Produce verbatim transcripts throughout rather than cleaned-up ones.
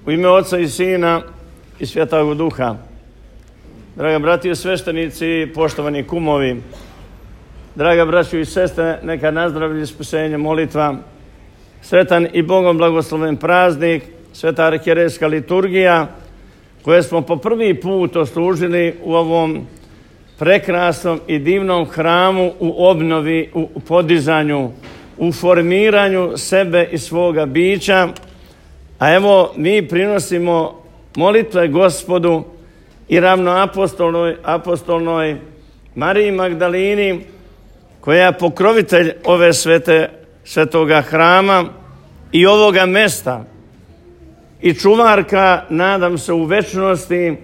U ime Oca i Sina i Svjetog Duha. Draga brati i sveštenici, poštovani kumovi, draga braćo i sestre, neka nazdravlja spasenje molitva. Sretan i Bogom blagosloven praznik, sveta arhijerejska liturgija, koje smo po prvi put oslužili u ovom prekrasnom i divnom hramu, u obnovi, u podizanju, u formiranju sebe i svoga bića. A evo, mi prinosimo molitve Gospodu i ravnoapostolnoj apostolnoj Mariji Magdalini, koja je pokrovitelj ove svete, svetoga hrama i ovoga mesta i čuvarka, nadam se, u večnosti,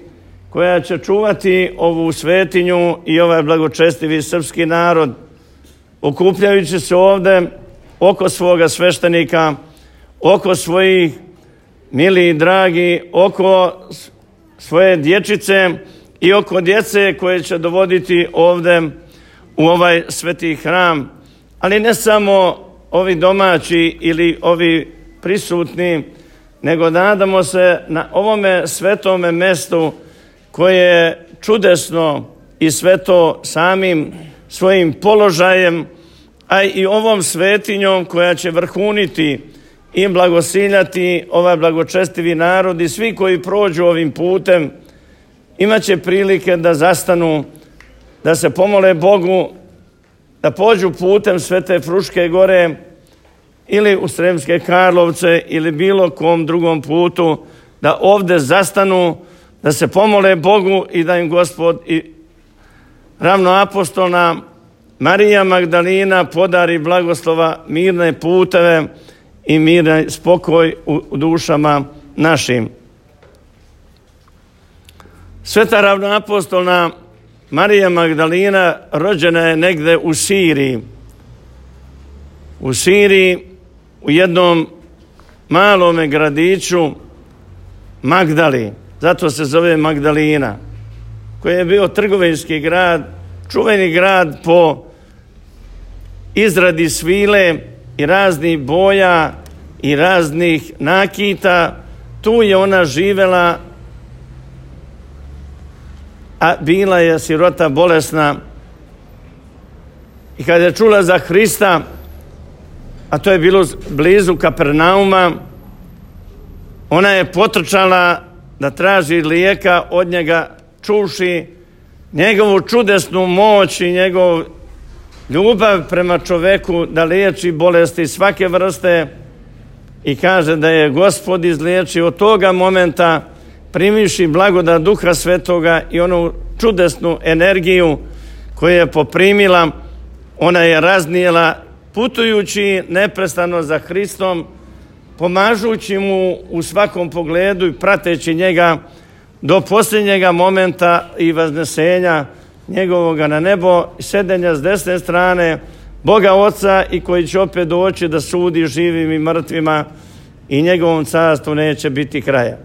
koja će čuvati ovu svetinju i ovaj blagočestivi srpski narod, okupljajući se ovde oko svoga sveštenika, oko svojih mili i dragi, oko svoje dječice i oko djece koje će dovoditi ovde u ovaj sveti hram. Ali ne samo ovi domaći ili ovi prisutni, nego nadamo se na ovome svetome mestu koje je čudesno i sveto samim svojim položajem, a i ovom svetinjom koja će vrhuniti i blagosiljati ovaj blagočestivi narod, i svi koji prođu ovim putem imat će prilike da zastanu, da se pomole Bogu, da pođu putem Svete Fruške gore ili u Sremske Karlovce ili bilo kom drugom putu, da ovde zastanu, da se pomole Bogu i da im Gospod i ravnoapostolna Marija Magdalina podari blagoslova, mirne puteve i mirni spokoj u dušama našim. Sveta ravnoapostolna Marija Magdalina rođena je negde u Siriji. U Siriji, u jednom malome gradiću Magdali, zato se zove Magdalina, koji je bio trgovinski grad, čuveni grad po izradi svile i raznih boja i raznih nakita. Tu je ona živela, a bila je sirota, bolesna. I kad je čula za Hrista, a to je bilo blizu Kapernauma, ona je potrčala da traži lijeka od njega, čuvši njegovu čudesnu moć i njegov ljubav prema čoveku da liječi bolesti svake vrste, i kaže da je Gospod izliječio. Od toga momenta, primiši blagodat Duha Svetoga i onu čudesnu energiju koju je poprimila, ona je raznijela putujući neprestano za Hristom, pomažući mu u svakom pogledu i prateći njega do posljednjega momenta i vaznesenja njegovoga na nebo, sedenja s desne strane Boga Oca, i koji će opet doći da sudi živim i mrtvima, i njegovom carstvu neće biti kraja.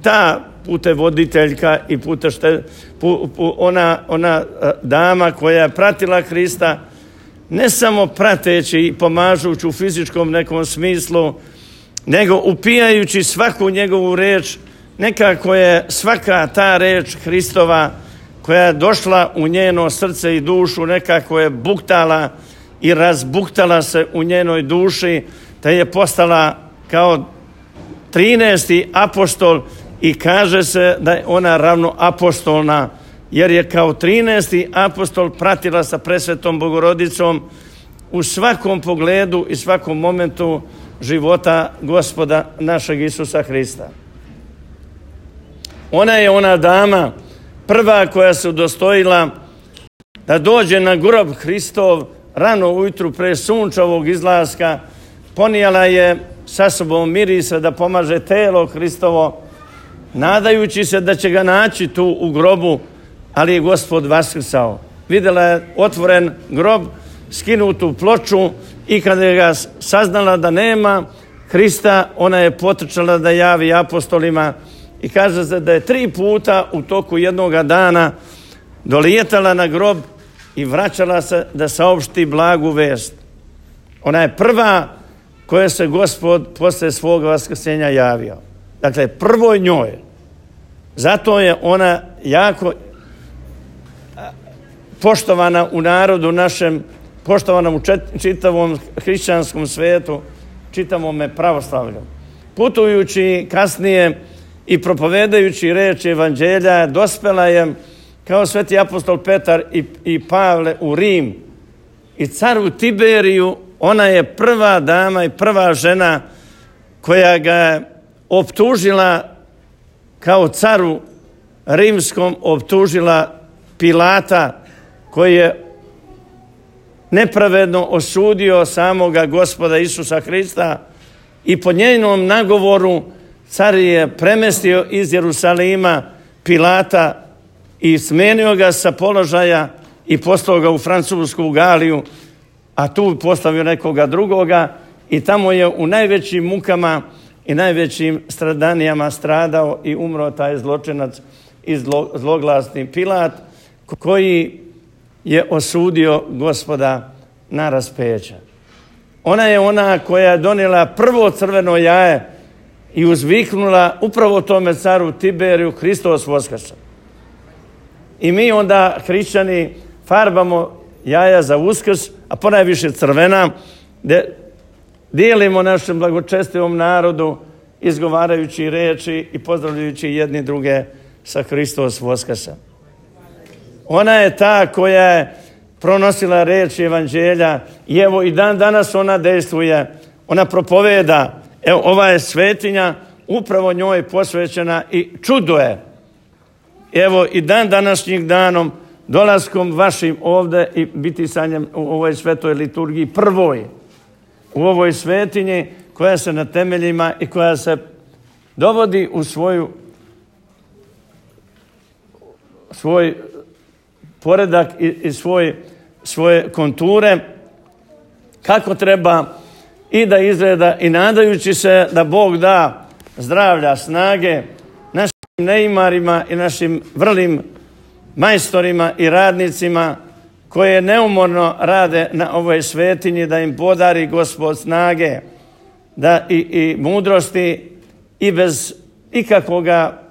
Ta putevoditeljka i putešte, pu, pu, ona, ona dama koja je pratila Hrista, ne samo prateći i pomažući u fizičkom nekom smislu, nego upijajući svaku njegovu reč. Nekako je svaka ta reč Hristova koja je došla u njeno srce i dušu, nekako je buktala i razbuktala se u njenoj duši, da je postala kao trinaesti apostol, i kaže se da je ona ravnoapostolna, jer je kao trinaesti apostol pratila sa presvetom Bogorodicom u svakom pogledu i svakom momentu života Gospoda našeg Isusa Hrista. Ona je ona dama prva koja se udostojila da dođe na grob Hristov rano ujutru pre sunčevog izlaska. Ponijela je sa sobom mirisa da pomaže telo Hristovo, nadajući se da će ga naći tu u grobu, ali je Gospod vaskrsao. Vidjela je otvoren grob, skinutu ploču, i kada je ga saznala da nema Hrista, ona je potrčala da javi apostolima, i kaže se da je tri puta u toku jednoga dana dolijetala na grob i vraćala se da saopšti blagu vest. Ona je prva koja se Gospod posle svoga vaskrsenja javio. Dakle, prvoj njoj. Zato je ona jako poštovana u narodu našem, poštovana u čitavom hrišćanskom svetu, čitavome pravoslavlju. Putujući kasnije i propovedajući reči evanđelja, dospela je kao sveti apostol Petar i, i Pavle u Rim. I caru Tiberiju, ona je prva dama i prva žena koja ga je optužila kao caru rimskom, optužila Pilata, koji je nepravedno osudio samoga Gospoda Isusa Hrista, i po njenom nagovoru car je premestio iz Jerusalima Pilata i smenio ga sa položaja i poslao ga u Francusku Galiju, a tu postavio nekoga drugoga, i tamo je u najvećim mukama i najvećim stradanijama stradao i umro taj zločinac i zlo, zloglasni Pilat, koji je osudio Gospoda na raspeće. Ona je ona koja je donijela prvo crveno jaje i uzviknula upravo tome caru Tiberiju: Hristos Voskrsa. I mi onda, hrišćani, farbamo jaja za Uskrs, a ponajviše crvena, gdje dijelimo našem blagočestivom narodu, izgovarajući reči i pozdravljajući jedni druge sa Hristos Voskrsa. Ona je ta koja je pronosila reči evanđelja i evo i dan danas ona dejstvuje, ona propoveda. Evo, ova je svetinja upravo njoj posvećena i čudo je. Evo i dan današnjim danom, dolaskom vašim ovdje i bitisanjem u ovoj svetoj liturgiji prvoj, u ovoj svetinji koja se na temeljima i koja se dovodi u svoju svoj poredak i, i svoj, svoje konture, kako treba i da izgleda, i nadajući se da Bog da zdravlja, snage našim neimarima i našim vrlim majstorima i radnicima koje neumorno rade na ovoj svetinji, da im podari Gospod snage, da i, i mudrosti, i bez ikakvoga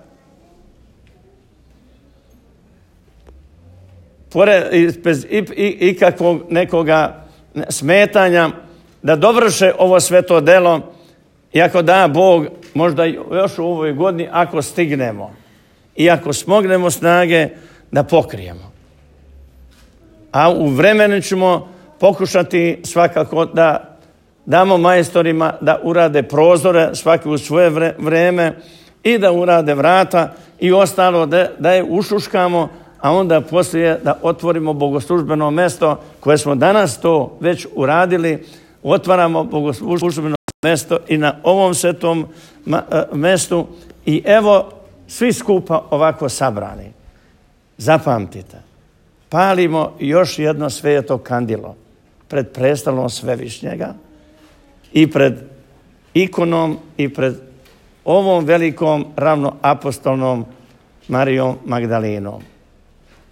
bez ikakvog nekoga smetanja, da dovrše ovo sveto delo, i ako da Bog, možda još u ovoj godini, ako stignemo i ako smognemo snage, da pokrijemo. A u vremenu ćemo pokušati svakako da damo majstorima da urade prozore svaki u svoje vreme i da urade vrata i ostalo da, da je ušuškamo, a onda poslije da otvorimo bogoslužbeno mjesto koje smo danas to već uradili. Otvaramo bogoslužbeno mjesto i na ovom svetom mjestu, i evo svi skupa ovako sabrani. Zapamtite, palimo još jedno sveto kandilo pred prestolom Svevišnjega i pred ikonom i pred ovom velikom ravnoapostolnom Marijom Magdalinom.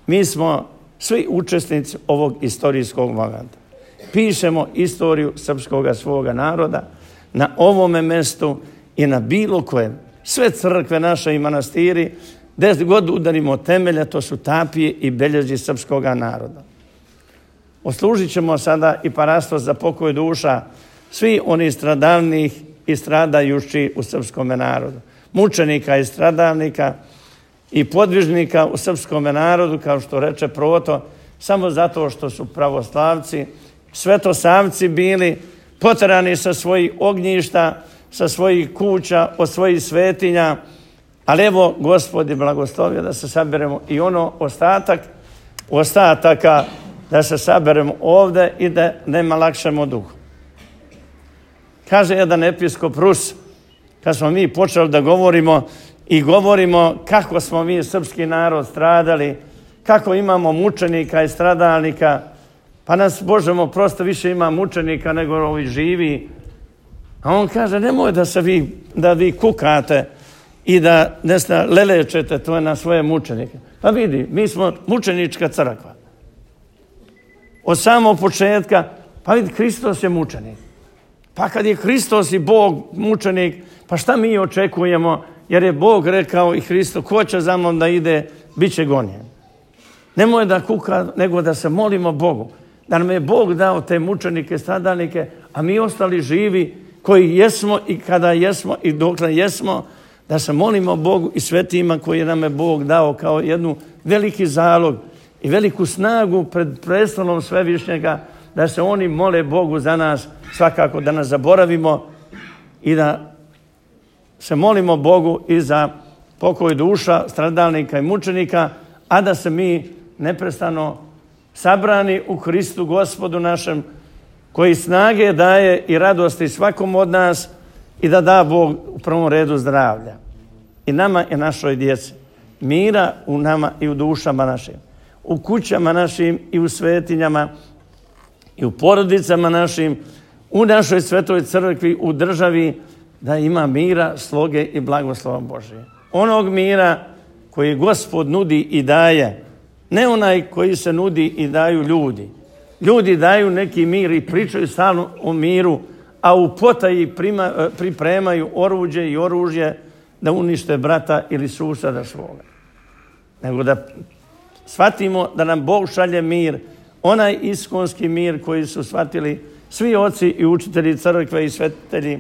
Mi smo svi učesnici ovog istorijskog momenta. Pišemo istoriju srpskoga svoga naroda na ovome mjestu i na bilo kojem. Sve crkve naše i manastiri, gdje god udarimo temelje, to su tapije i belježi srpskoga naroda. Oslužit ćemo sada i parasto za pokoj duša svi oni stradalnih i stradajući u srpskom narodu. Mučenika i stradalnika i podvižnika u srpskom narodu, kao što reče Proto, samo zato što su pravoslavci, svetosavci bili poterani sa svojih ognjišta, sa svojih kuća, od svojih svetinja. Ali evo, Gospod je blagoslovio da se saberemo i ono ostatak, ostataka da se saberemo ovdje i da nema lakšemo duhu. Kaže jedan episkop Rus, kad smo mi počeli da govorimo i govorimo kako smo mi srpski narod stradali, kako imamo mučenika i stradalnika, pa nas, Božemo, prosto više ima mučenika nego ovi živi. A on kaže, nemoj da se vi, da vi kukate i da ne zna, lelečete to na svoje mučenike. Pa vidi, mi smo mučenička crkva. Od samog početka, pa vidi, Hristos je mučenik. Pa kad je Hristos i Bog mučenik, pa šta mi očekujemo? Jer je Bog rekao i Hristo, ko će za mnom da ide, bit će gonjen. Nemoj da kuka, nego da se molimo Bogu. Da nam je Bog dao te mučenike, stradalnike, a mi ostali živi koji jesmo i kada jesmo i dokle jesmo, da se molimo Bogu i svetima koji nam je Bog dao kao jednu veliki zalog i veliku snagu pred prestolom Svevišnjega, da se oni mole Bogu za nas, svakako da nas zaboravimo i da se molimo Bogu i za pokoj duša stradalnika i mučenika, a da se mi neprestano sabrani u Hristu Gospodu našem, koji snage daje i radosti svakom od nas i da da Bog u prvom redu zdravlja. I nama i našoj djeci. Mira u nama i u dušama našim. U kućama našim i u svetinjama i u porodicama našim, u našoj svetoj crkvi, u državi, da ima mira, sloge i blagoslova Božije. Onog mira koji Gospod nudi i daje, ne onaj koji se nudi i daju ljudi. Ljudi daju neki mir i pričaju stalno o miru, a u potaji prima, pripremaju oruđe i oružje da unište brata ili suseda svoga. Nego da shvatimo da nam Bog šalje mir, onaj iskonski mir koji su shvatili svi oci i učitelji crkve i svetitelji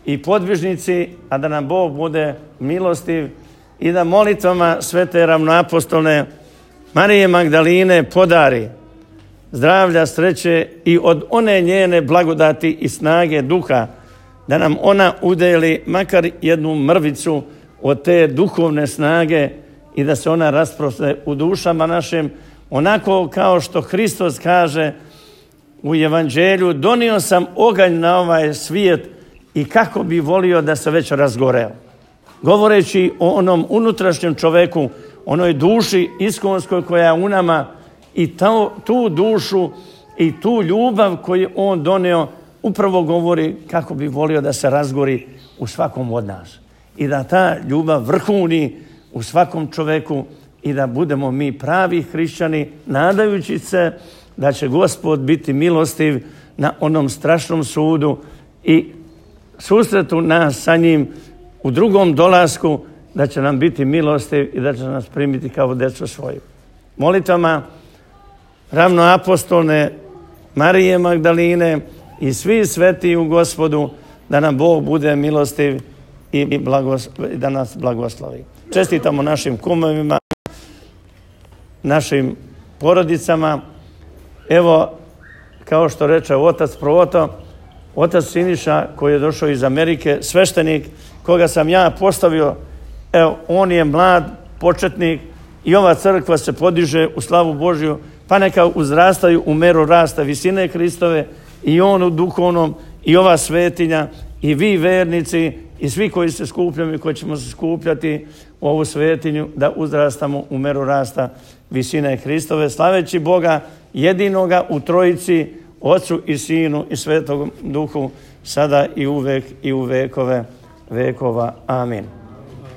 i podvižnici, a da nam Bog bude milostiv i da molitvama svete ravnoapostolne Marije Magdaline podari zdravlja, sreće i od one njene blagodati i snage duha, da nam ona udeli makar jednu mrvicu od te duhovne snage i da se ona rasprostre u dušama našim, onako kao što Hristos kaže u Evanđelju, donio sam oganj na ovaj svijet i kako bi volio da se već razgoreo. Govoreći o onom unutrašnjem čoveku, onoj duši iskonskoj koja je u nama, i to, tu dušu i tu ljubav koju on donio upravo govori kako bi volio da se razgori u svakom od nas. I da ta ljubav vrhuni u svakom čoveku i da budemo mi pravi hrišćani, nadajući se da će Gospod biti milostiv na onom strašnom sudu i susretu nas sa njim u drugom dolasku, da će nam biti milostiv i da će nas primiti kao djecu svoju. Molitvama ravnoapostolne Marije Magdaline i svi sveti u Gospodu, da nam Bog bude milostiv i da nas blagoslovi. Čestitamo našim kumovima, našim porodicama. Evo, kao što reče otac Proto, otac Siniša koji je došao iz Amerike, sveštenik koga sam ja postavio, evo, on je mlad početnik i ova crkva se podiže u slavu Božju, pa neka uzrastaju u meru rasta visine Hristove i on u duhovnom i ova svetinja i vi vernici i svi koji se skupljamo i koji ćemo se skupljati u ovu svetinju, da uzrastamo u meru rasta visine Hristove, slaveći Boga jedinoga u Trojici, Otcu i Sinu i Svetom Duhu, sada i uvek i u vekove vekova. Amin.